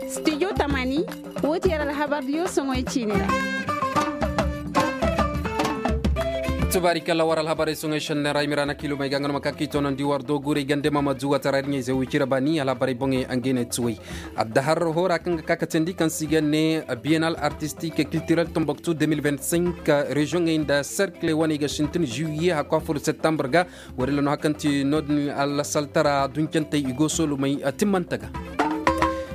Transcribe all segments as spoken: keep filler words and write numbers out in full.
Studio tamaani, woo ti yer alhabardiyo soŋoy ciini ra. Tubaari kalla war alhabarey soŋoy šenney ra i ma ra na kiilumey ga nga no ma ka k'i toonandi war dooguurey gande ma ma zuwa tara ir ɲayze wicira baani alhabarey boŋey angey ne tuwey. Addahar hoora kaŋ ga ka ka teendi kaŋ se i ga ne bienal artistik kiltirel tomboktu deux mille vingt-cinq, reziyoŋey nda serkiley wane i ga sintin juwiye hakku a fur septembre ga. Woodin ra no hari kaŋ ti noodin alasaltara duncantey i go soolumey timmante ga.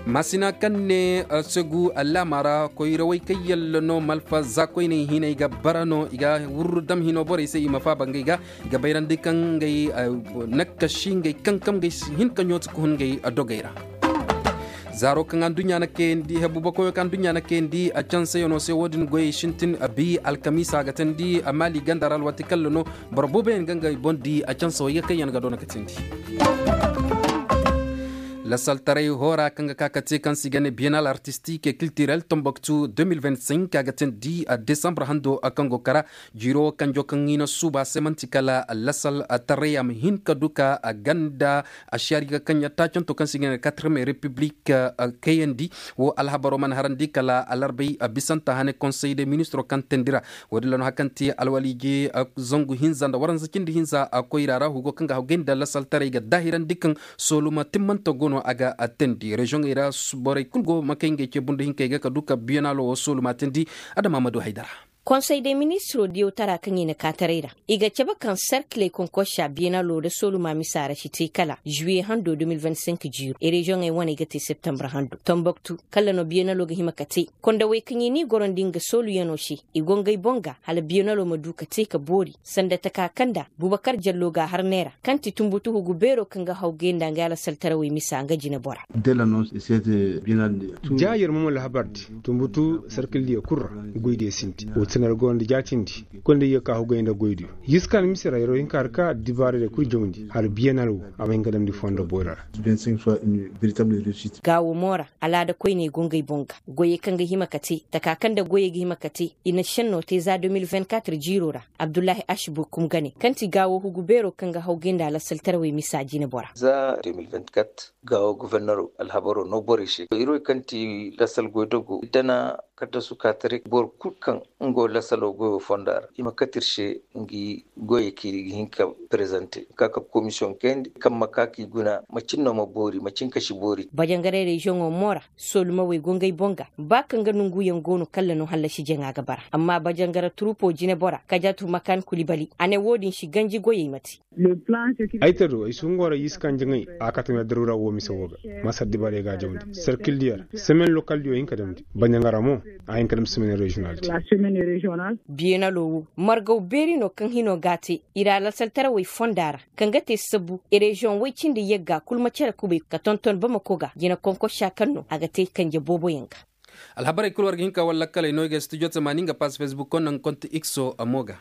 Maasina kaŋ ne segu laama ra koyrawey kaŋ yalla no malfa zaakoyney hinay ga bara no i ga wurru dam hino borey se i ma faaba ngey ga. I ga bayrandi kaŋ ngey nakkasi ngey kankam ngey hin ka ɲooti ka hun ngey dogey ra. Zaaro kaŋ adduɲɲa na kayandi hebuba koyo kaŋ adduɲɲa na kayandi a canseyanoo se woodin goyey sintin a bi alkamiisa a ga teendi a maali ganda ra alwaati kalla no. Boro booboyaŋ ga ngey boŋ di a canse wey ga kaŋ yaŋ ga doona ga teendi. Lasaltaray hoora kaŋ ga ka ka te kaŋ se i ga ne bienal artistik kiltirel tomboktu deux mille vingt-cinq a ga teendi a desambre hando kaŋ go kara. Jiiro kanjo kaŋ i na suuba se man'ti kala lasal taray a ma hin ka du ka ganda a si hari ga kaŋ ya taacanto kaŋ se i ga ne katreme repiblik kayandi. Wo alhabaro mana harandi kala alarbay bisanta hane konsey de ministro kaŋ teendi ra. Woodin ra no hari kaŋ ti alwaliije zangu hinza nda waranza cindi hinza koyra ra hugo kaŋ ga hawgay nda lasal taray ga daahirandi kaŋ sooluma timmante go no a ga teendi reziyoŋey ra. Borey kul go ma kay ngey ce bundu hinkey ga ka du ka biyanaalo wo sooluma teendi. Adama ma du haydara. Konsey de ministiro diyow tara kaŋ i na kaataray ra i ga cabe kaŋ serkiley konkorsa biyenalo nda sooluma misa ra si te kala zuwiye hando deux mille vingt-cinq jiiro i reziyoŋey wane ga te septembre hando tomboktu kala no biyenalo ga hima ka te. Kondawey kaŋ i n'i gorandi nga sooluyanoo se i go ngey boŋ ga hala biyenalo ma du ka te ka boori sanda taka kaŋ nda bubakar jallo ga a har neera kaŋ ti tumbutu hugu beero kaŋ ga hawgay nda nga alasaltarawey misa nga jinebora. Ja yer ma ma lahabardi tumbutu sarkildiyo kul ra. Goydiyo sinti woo ti no yer go nda jaatindi. Koy nda yer ka hugay nda goydiyo. Yer si ka nda mise ra yer wo hin ka har ka dibaaradiyo kul jawndi hala biyenal woo a ma hin ka damndi fondo boyra ra. Gaawo mo ra alaada koyney go ngey boŋ ga goyey kaŋ ga hima ka te taka kaŋ nda goyey ga hima ka te. I na šennoo te za deux mille vingt-quatre jiiroo ra. Abdullahi ashbu kum ga ne kaŋ ti gaawo hugu beeroo kaŋ ga hawgay nda alasaltarawey misa jinebora. Za deux mille vingt-quatre gaawo goforneroo alhabaroo noo borey se ir wey kaŋ ti lasal goydogoo ir dana kaddasu ka taray boro kul kaŋ nga wo lasaloo goyoo fonda ra i ma kate ir se. Ngi goyey kaŋ ir ga hin ka prezante ka ka komisiyoŋ kayandi kaŋ ma ka k'i guna macin no ma boori macin ka si boori. Bajangaray reziyoŋoo mo ra soolumawey go ngey boŋ ga ba kaŋ ga nonguyaŋ go no kalla no hallasi jaŋa ga bara amma bajangara turupoo jinebora kajatu makan kulibali a ne woo din si ganji goyey ma te. Ay ta do ay si hungo ra yiskan jaŋay a kate meera daruura woo mise woo ga. Masar dibaarey ga a jawndi sarkil diyo ra semen lokal diyo hin ka damndi bajangara mo a hin ka damndi semen reziyonal te. Biyenaloo woo margaw beeri no kaŋ hinoo ga a te i ra lasaltarawey fonda ra kaŋ ga te sabu reziyoŋ woy cindi yagga kul ma cere kubay ka tonton bamako ga jina konkosa kaŋ no a ga te kanje booboyaŋ ga. Alhabarey kul war ga hin ka war lakkaley no i ga studio tamaani nga pass facebook konda nga konti ikso a mo ga.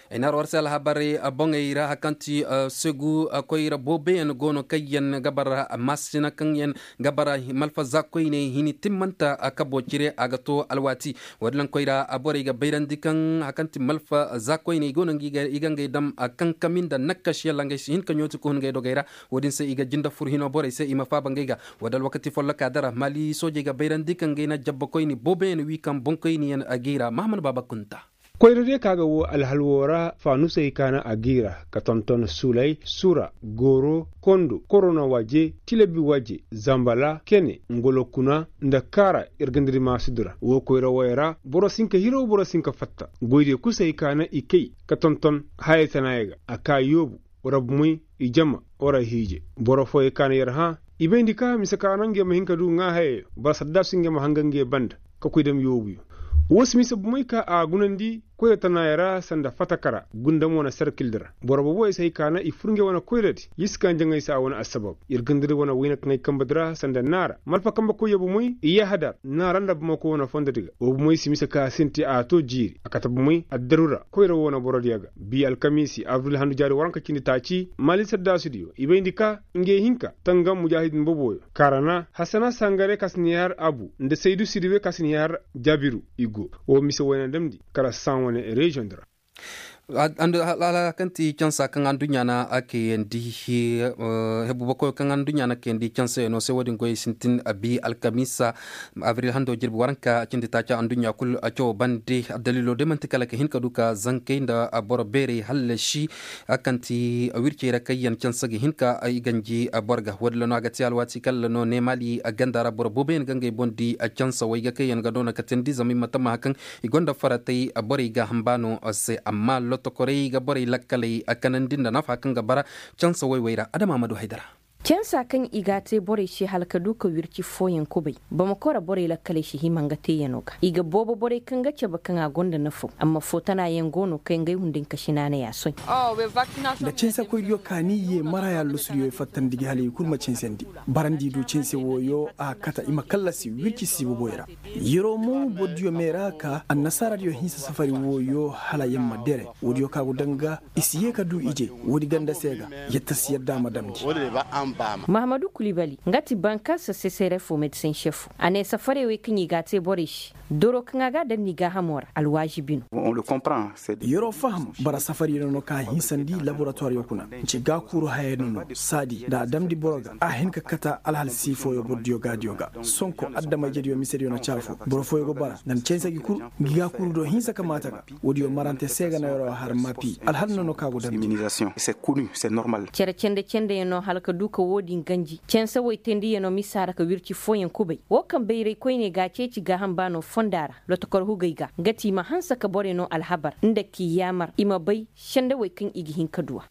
Ay na har war se alhabarey boŋey ra hari kaŋ ti segu koyra booboyaŋ go no kaŋ yaŋ ga bara maasina kaŋ yaŋ ga bara malfa za koyney hini timmanta kabo cire a ga to alwaati. Woodin laŋ koyra borey ga bayrandi kaŋ hari kaŋ ti malfa za koyney go no i ga ngey dam kankami nda nakkas yalla ngey si hin ka ɲooti ka hun ngey dogey ra. Woodin se i ga jinde fur hinoo borey se i ma faaba ngey ga. Woo da alwakati follokaa dara maali soojey ga bayrandi kaŋ ngey na jabbakoyni booboyaŋ wi kaŋ boŋkoyniyaŋ a g'i ra mahaman baaba kunta. Koyra diyo ka ga woo alhal woo ra faanusey ka na a g'i ra ka tonton sulay sura gooro kondo korona waaje tilabi waaje zambala kene ngolo kuna nda kaara ir ga nda di maasudu ra woo koyra wooyo ra boro si hin ka hiro boro si hin ka fatta goydiyo kul se hay ka na i kay ka tonton hayey tanaayo ga a ka yoobu wara bumey i jama wara hiije boro fooyey ka na yer hã i bayndi ka mise ka naŋ ngey ma hin ka du ŋaahayayo bara saddaasu ngey ma hanga ngey banda ka koy dam yoobuyo. Woo si mise bumey ka a gunandi koyra tanaayo ra sanda fatakara gundam wane sarkildi ra boro booboyo si hay ka na i fur ngey wane koyradi yer si ka njaŋay se a wane assabab yer gandadi wane wayna kaŋay kambadi ra sanda naara malfa kambe koyyo bumey i yahadar naara nda bamako wane fondodi ga woo bumey si mise ka sinti a to jiiri a kate bumey addaru ra koyra woo na borodiyo ga bi alkamiisi abril handu jaari waranka cindi taaci maali saddaasudiyo i bayndi ka ngey hinka tangam mujaahidin boboyo kaarana hasana sangare ka si na i har abu nda saydu sidibe ka si na i har jaabiru i go woo mise wayna damndi kala saŋ wane reziyoŋ di ra. Hala kaŋ ti cansa kaŋ anduɲɲa na a kayandi, hebu bakoyo kaŋ anduɲɲa na kayandi cansayaŋo se wo- din goyey sintin a bi alkamiisa abril hando jirbi waranka a cindi taaca anduɲɲa kul a cawo bande. Daliilo day manti kala ka hin ka du ka zankey nda boro beerey hallasi kaŋ ti wircey ra kaŋ yaŋ cansa ga hin ka i ganji boro ga wo- din ra no a ga te alwaati kala no neemaali ganda ra boro booboyaŋ ga ngey boŋ di cansawey ga kaŋ yaŋ ga doona ka teendi zama i ma tammaha kaŋ i gonda faratey borey gaaham baano se amma lotokorey ga borey lakkaley kanandi nda nafa kaŋ ga bara cansa woy-woy ra adama ma du haydara. Cansa kaŋ i ga a te borey se hala ka du ka wirci fooyaŋ kubay bamakora borey lakkaley si hima nga teeyano ga i ga boobo borey kaŋ ga cabe kaŋ a gonda nafaw amma foo tana yaŋ go no kaŋ ngey hunday nka si naanay a soy. Nda cansa koydiyo kaani ye maraya lusudiyo fattandi gi hala i kul ma cansandi barandi du canse wooyo a kata i ma kallasi wirci siiboboy ra. Yeroo mo bordiyo meera ka annasaaradiyo hinsa safari wooyo hala yer ma dere woodiyo ka go danga i si yee ka du ije woodi ganda se ga. Yetta si yadda a ma damndi. Mahamadu kulibali nga ti banka sosesere fo medisen šefo a ne safarey wey kaŋ i ga a te borey se doro kaŋ a ga a daŋ ni gaahamo ra alwaazibi no. Yeroo faham bara safariyo no no ka a hinsandi laboratoiriyo kuna. Nci gaakuuru hayayo no no saadi nda a damndi boro ga a hin ka kata alhal sii fooyo bordiyo gaadiyo ga. Sonko adama-ijediyo misediyo na caafo boro fooyo go bara nda ni canse gi kul. Ngi gaakuuru do hinsa kamaata ga woodiyo marante se ga na yeroo har maapi alhal no no ka go damndi. Cere cende-cendeyaŋo hala ka du ka wo-din ganji canse woy teendiyaŋo misa ra ka wirci fooyaŋ kubay wo kaŋ bayray koyne ga a ceeci gaaham baano fonda ra lotokor hugey ga nga ti i ma hanse ka borey no alhabar nda k'i yaamar i ma bay sendewey kaŋ i ga hin ka du a.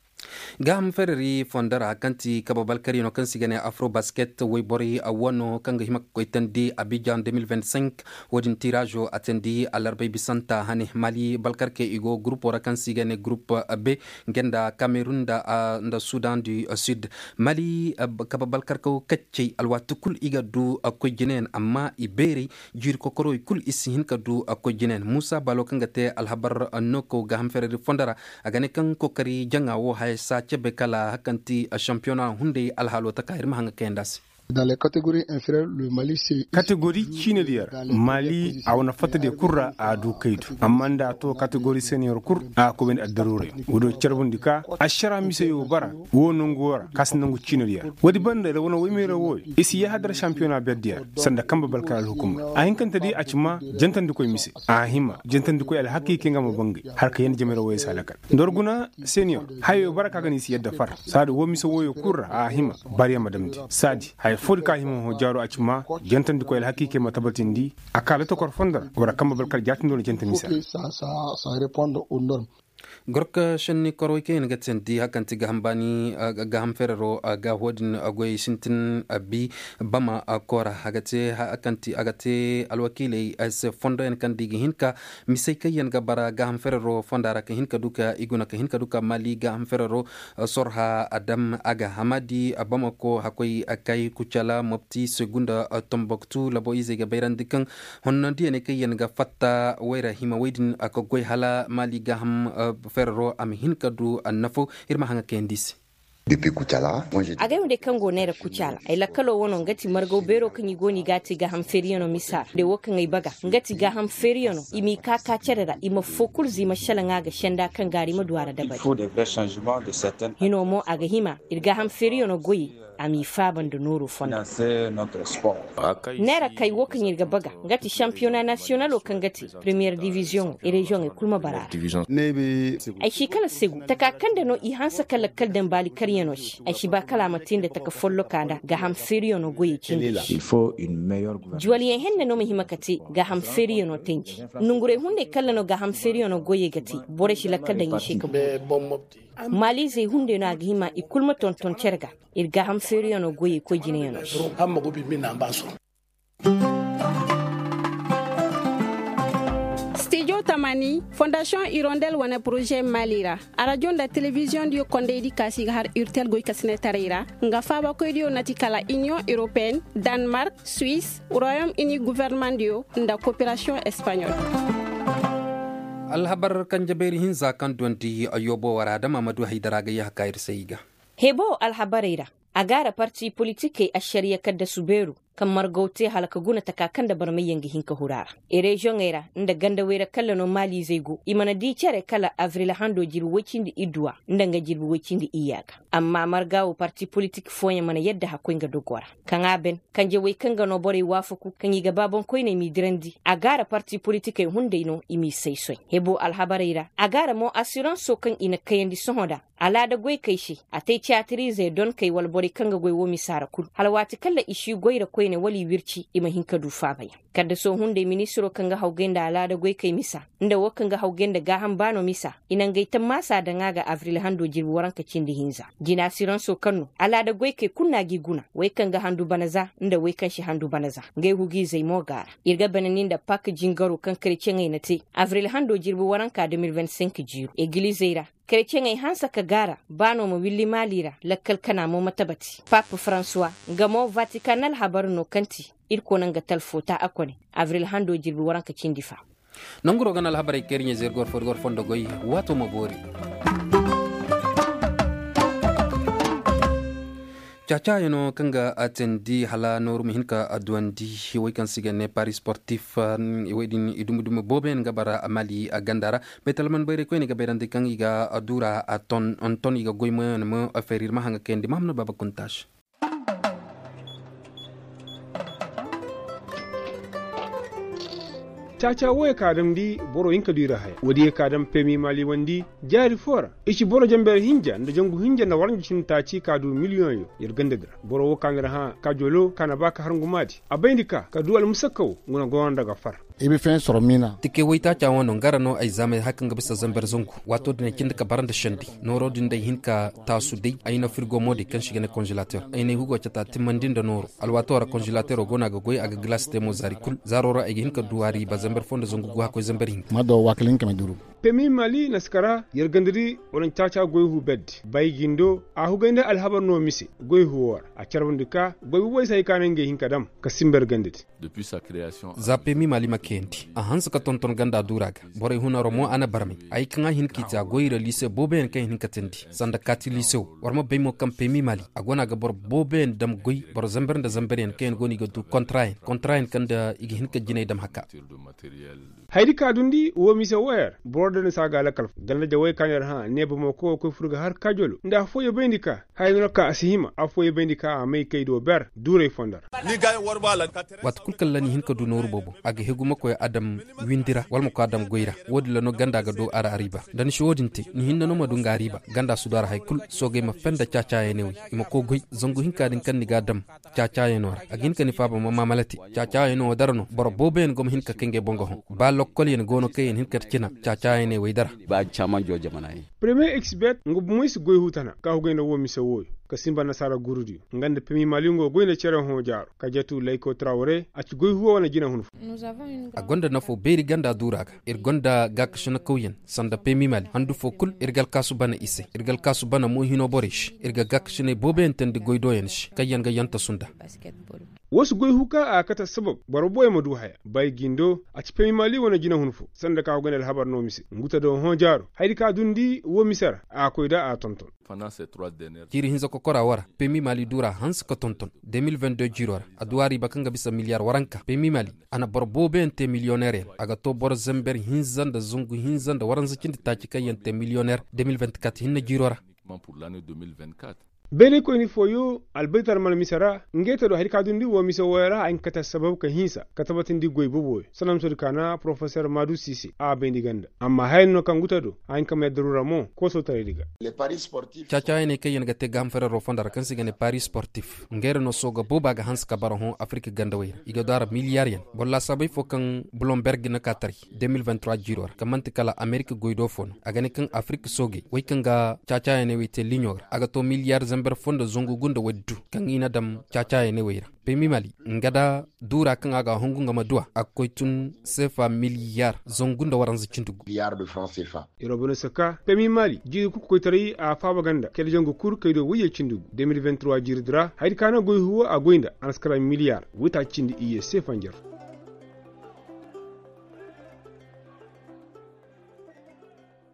Gaaham fereri fondo ra kaŋ ti kabe balkaryaŋo kaŋ se i ga ne afro basket woyborey wano kaŋ ga hima ka koy teendi abijan de mil vingt cinq. Wo-din tiraazo a teendi alarbay bisanta hane mali balkarkey i go gurupo ra kaŋ se i ga ne gurup b, nga nda kamerun nda sudan du sud. Mali kabe balkarkaw kaccey alwaati kul i ga du koy jinayaŋ amma i beerey jiiri kokorowey kul i si hin ka du koy jinayaŋ muusa baalo kaŋ ga te alhabar nookaw gaaham fereri fondo ra. A ga ne kaŋ kookari jaŋa wo haya si a cebe kala hakanti šampiyona hunday alhaalo taka ir ma haŋ ga kayandi a se. Kategori ciine diyo ra mali a wane fatta diyo kul ra a du kaydu amma nda a to kategori seniyor kul a ga koy bayndi addaruurey. Wo do carbundi ka ašara miseyo bara wo nangu wo ra ka si nangu ciine diyo ra woodi banda ir wane woymeera wooyo i si yahadar šampiyona ber diyo ra sanda kambe balkar alhukumar a hinkante di a ci ma jantandikoy mise a hima jantandikoy alhakiikey nga ma bangay har ka yanda jamayra wooyo si a lakal nda war guna seniyor hayo bara ka ga no i si yadda far saadi woo mise wooyo kul ra a hima baryaŋ ma damndi saadi haya foodi ka hima hõ jaaro a ci ma jantandikoy alhakiikey ma tabatindi a ka lotokor fondo ra war a kambe balkar jaatindoo na janta mise ra. Gorka šenni korowey kaŋ yaŋ ga teendi hakanti gaaham baani gaaham ferero ga wo-din goyey sintin bi bama koora a ga te alwakiiley se fondoyaŋ kaŋ da i ga hin ka misey kaŋ yaŋ ga bara gaaham ferero fonda ra ka hin ka du ka i guna ka hin ka du ka mali gaaham ferero sorha a dam a ga hamadi bamako hakoy kay kucala mopti segu nda tomboktu labo izey ga bayrandi kaŋ honnondiyaney kaŋ yaŋ ga fatta wayra hima wey din a ga goy hala mali gaaham ferero a ma hin ka du annafo ir ma haŋa kayandi se. Agay wandey kaŋ go neera kucaala ay lakkalo wano nga ti margaw beero kaŋ i go no i ga a te gaaham feeriyaŋo misa ra de wo kaŋ ay baga nga ti gaaham feeriyaŋo i m'i ka ka cere ra i ma foo kulu ziima šelaŋa ga senda kaŋ gaari ma du a ra dabari. Hino mo a ga hima ir gaaham feeriyaŋo goyey a m'i faaba nda nooru fonda. Neera kay wo kaŋ ir ga baga nga ti šampiyona nasiyonalo kaŋ ga te premiyer diviziyoŋo reziyoŋey kul ma bara a ra. Ay si kala segu taka kaŋ nda no i hanse ka lakkal daŋ baali karyaŋo se ay si ba kala a ma te nda taka folloka nda gaaham feeriyaŋo goyey cindi se. Juwalyaŋ henne no ma hima ka te gaaham feeriyaŋo tanji. Nongurey hunday kalla no gaaham feeriyaŋo goyey ga te borey si lakkal daŋ i se ka boori. Maaliizey hunday no a ga hima i kul ma tonton cere ga ir gaaham feeriyaŋo goyey koy jinayaŋo se. Stijo tamani fondasiyoŋ irondel wane poroze mali ra arajo nda telebiziyoŋ diyo kondey di kaasi ga har urtel goykasinetaray ra nga faabakoy diyo na ti kala iniyoŋ europeen, danmark, suwis, royom ini gofornamaŋ diyo nda koperasiyoŋ espaɲol. Alhabar kanje beeri hinza kaŋ dondi yoobo wara dama ma du haydara ga yahaka ir se i ga. Hebo alhabarey ra a gaara parti politikey ašariya kaddasu beeru. kaŋ margaw te hala ka guna taka kaŋ nda barmayyaŋ ga hin ka huru a ra. Ereziyoŋey ra nda gandawey ra kalla no maaliizey go i mana di cere kala abril hando jirbi woy cindi idduwa nda nga jirbi woy cindi iyya ga. Amma marga wo parti politik fooyaŋ mana yadda hakkoy nga dogo ra. Kaŋ a ben kanje woy kaŋ ga no borey waafaku kaŋ i ga baaboŋ koyney m'i dirandi a gaara parti politikey hunday no i m'i saysoy. Hebo alhabarey ra a gaara mo asiranso kaŋ i na kayandi sohõ nda alaada goykey se a te caatiriizey donkey wala borey kaŋ ga goy wo misa ra kul hala waati kaŋ ra i si goy ra koyne wala i wirci i ma hin ka du faabayaŋ. Kaddaso hunday ministiro kaŋ ga hawgay nda alaada goykey misa nda wo kaŋ ga hawgay nda gaaham baano misa i na ngey tammaasa daŋ a ga abril hando jirbi waranka cindi hinza. Jina siranso kaŋ no alaada goykey kulu no a g'i guna wey kaŋ ga handu bana za nda wey kaŋ si handu bana za. Ngey hugiizey mo go a ra. Ir ga bana ni nda pak jingaro kaŋ kareceŋey na te abril hando jirbi waranka de mil vingt cinq jiiro egilizey ra. Kareceŋey hanse ka gaara baano ma willi maali ra lakkal kana mo ma tabati pap faransuwa. Nga mo vatikan alhabar no kaŋ ti irkoy na nga talfo ta a kone abril hando jirbi waranka cindi fa. Nanguro ga na alhabarey kaŋ ir ɲa zeeri goro fo ir goro fondo goy. Waato ma boori. Caacaayano kaŋ ga a teendi hala nooru ma hin ka a duwandi. Wey kaŋ se i ga ne pari sportif wey din i dumi dumi boobo yaŋ ga bara mali a ganda ra. Baytalman bayray koyne ga bayrandi kaŋ i ga a duura a ton ton i ga goy moyaŋ ma feeri ir ma haŋa kayandi mahamna baaba kuntaasi. Caaca wo ye ka dam di boro hinka du i ra haya wo- din ye ka dam pemi maali wandi. Jaari fo ra i ci boro janber hinja nda jangu hinja nda waranja cindi taaci ka du miliyoŋ yo. Yer ganda di ra boro wo ka nda ra hã ka jolo ka na ba ka har ngumaadi a bayndi ka ka du almusakka wo. Nga na gono nda ga far. Ibi feŋ soro miina. Tikey woytaaca wano nga ra no ay zaamay har kaŋ ga bisa zamber zangu. Waato din ay cindi ka bara nda sendi nooro din day hin ka taasu day ay na firgo mo day kaŋ se i ga ne konzelater ay na ay hugo cata timmandi nda nooro. Alwaato ra konzelatero go no a ga goy a ga gilaasi te mo zaari kul zaaro ra ay ga hin ka du a riiba zamber fo nda zangu gu hakkoy zamber hinka. Ma do waakil hinka ma duru. Pemi mali naskara yer ganda di wala caaca goy hu beddi bay gindo a hugay nda alhabar no mise goy hu wo ra a carbandi ka goy hu way se hay ka no ngey hin ka dam ka simba yer ganda di. Za pemi mali ma kayandi a hanse ka tonton ganda duura ga. Borey hunaro mo a na barmay ay kaŋ a hin k'i te a goy ra liise booboyaŋ kaŋ i na hin ka teendi sanda kaati liise wo war ma bay mo kaŋ pemi mali a go no a ga boro booboyaŋ dam goy boro zamber nda zamberyaŋ kaŋ yaŋ go no i ga du kontra yaŋ kontra yaŋ kaŋ nda i ga hin ka jinay dam haka. Hayadi ka dundi wo mise wo yer boro da ni se a ga a lakal fo ganda jawey ka no yer hã neeba mo koy wo koy fur ga har kajolo nda affooyo bayndi ka haya no ka a si hima affooyo bayndi ka a may kay do ber duuray fondo ra. Waati kulu kaŋ ra ni hin ka du nooru boobo a ga hegu ma koy a dam windi ra wala ma koy a dam goy ra. Wo- din ra no ganda ga du a ra a riiba da ni si wo- din te ni hinne no ma du nga a riiba ganda si du a ra hari kulu soogey ma fenda caacaayaney wey i ma koy goy zangu hinka din kaŋ ni ga a dam caacaayanoo ra a ga hin ka ni faaba ma maamala te. Caacaayanoo wo dara no boro booboyaŋ go ma hin ka kay ngey boŋ ga hõ ba lokkolyaŋ go no kaŋ yaŋ hin ka cina caacaayaney wey dara. Ba caamanjo jamana yaŋ. Premiye eksibert nga bomoy si goy huu tana ka hugay nda woo mise wooyo ka sinba nasaara gurudiyo nga nda pemi maalingo goy nda cere hõ jaaro ka jatu layko trawre a ci goy huuwa wane jina hun fo. A gonda nafoo beeri ganda duura ga ir gonda gaakasinakawyaŋ sanda pemi maali handu foo kul ir ga alkaasu bana i se ir ga alkaasu bana moohinoo borey se ir ga gaakasinay booboyaŋ teendi goydooyaŋ se kaŋyaŋ ga yantasu nda. Woo si goy huu ka a ga kate assabab boro booyaŋ ma du haya bay gindo a ci pemi maali wane jinahun fo sanda ka go ganda alhabar no mise nguta do hõ jaaro hayadi ka dundi woo mise ra a ga koy da a tonton. Jiiri hinza kokora woo ra pemi maali duura hanse ka tonton de mil vingt deux jiiroo ra a du a riiba kaŋ ga bisa miliyar waranka pemi maali a na boro booboyaŋ te miliyoneeryaŋ a ga too boro zamber hinza nda zangu hinza nda waranza cindi taaci kaŋ yaŋ te miliyoneer de mil vingt quatre hinne jiiroo ra. Beeraykoyni fooyo albaytar mana mise ra ngey te do hari ka dundi woo mise wooyo ra a hin ka kate assabab ka hinsa ka tabatindi goy boboyo sanamsodi ka na porofeser maadu siise a bayndi ganda amma haya no kaŋ guta do a hin ka may daruura mo koosotaraydi ga. Caacaayaney kaŋ yaŋ ga te gaaham fereroo fonda ra kaŋ se i ga ne pari sportif ngey ra no sooga booba ga hanse ka bara hõ afirik gandawey ra i ga du a ra miliyaryaŋ boro laasaabey foo kaŋ bulomberg na ka taray de mil vingt trois jiiroo ra kaŋ man'ti kala amerik goydoo foo no a ga ne kaŋ afirik soogey wey kaŋ ga caacaayaney wey te liɲo ra a ga too miliyar zamber foo nda zangu gunda woy du kaŋ i na dam caacaayaney wey ra. Pemi mali nga da duura kaŋ a ga a hungu nga ma duw'a a ga koy tun seefa miliyar zangu nda waranza cindi gu. Irobinose ka pemi mali jiiri kuku koytaray a faaba ganda kayda zangu kul kaydo woyye cindi gu de mil vingt trois jiiridi ra hayadi ka no goy huuwo a goy nda a na si kara miliyar woytaaci cindi iyye seefa njarfu.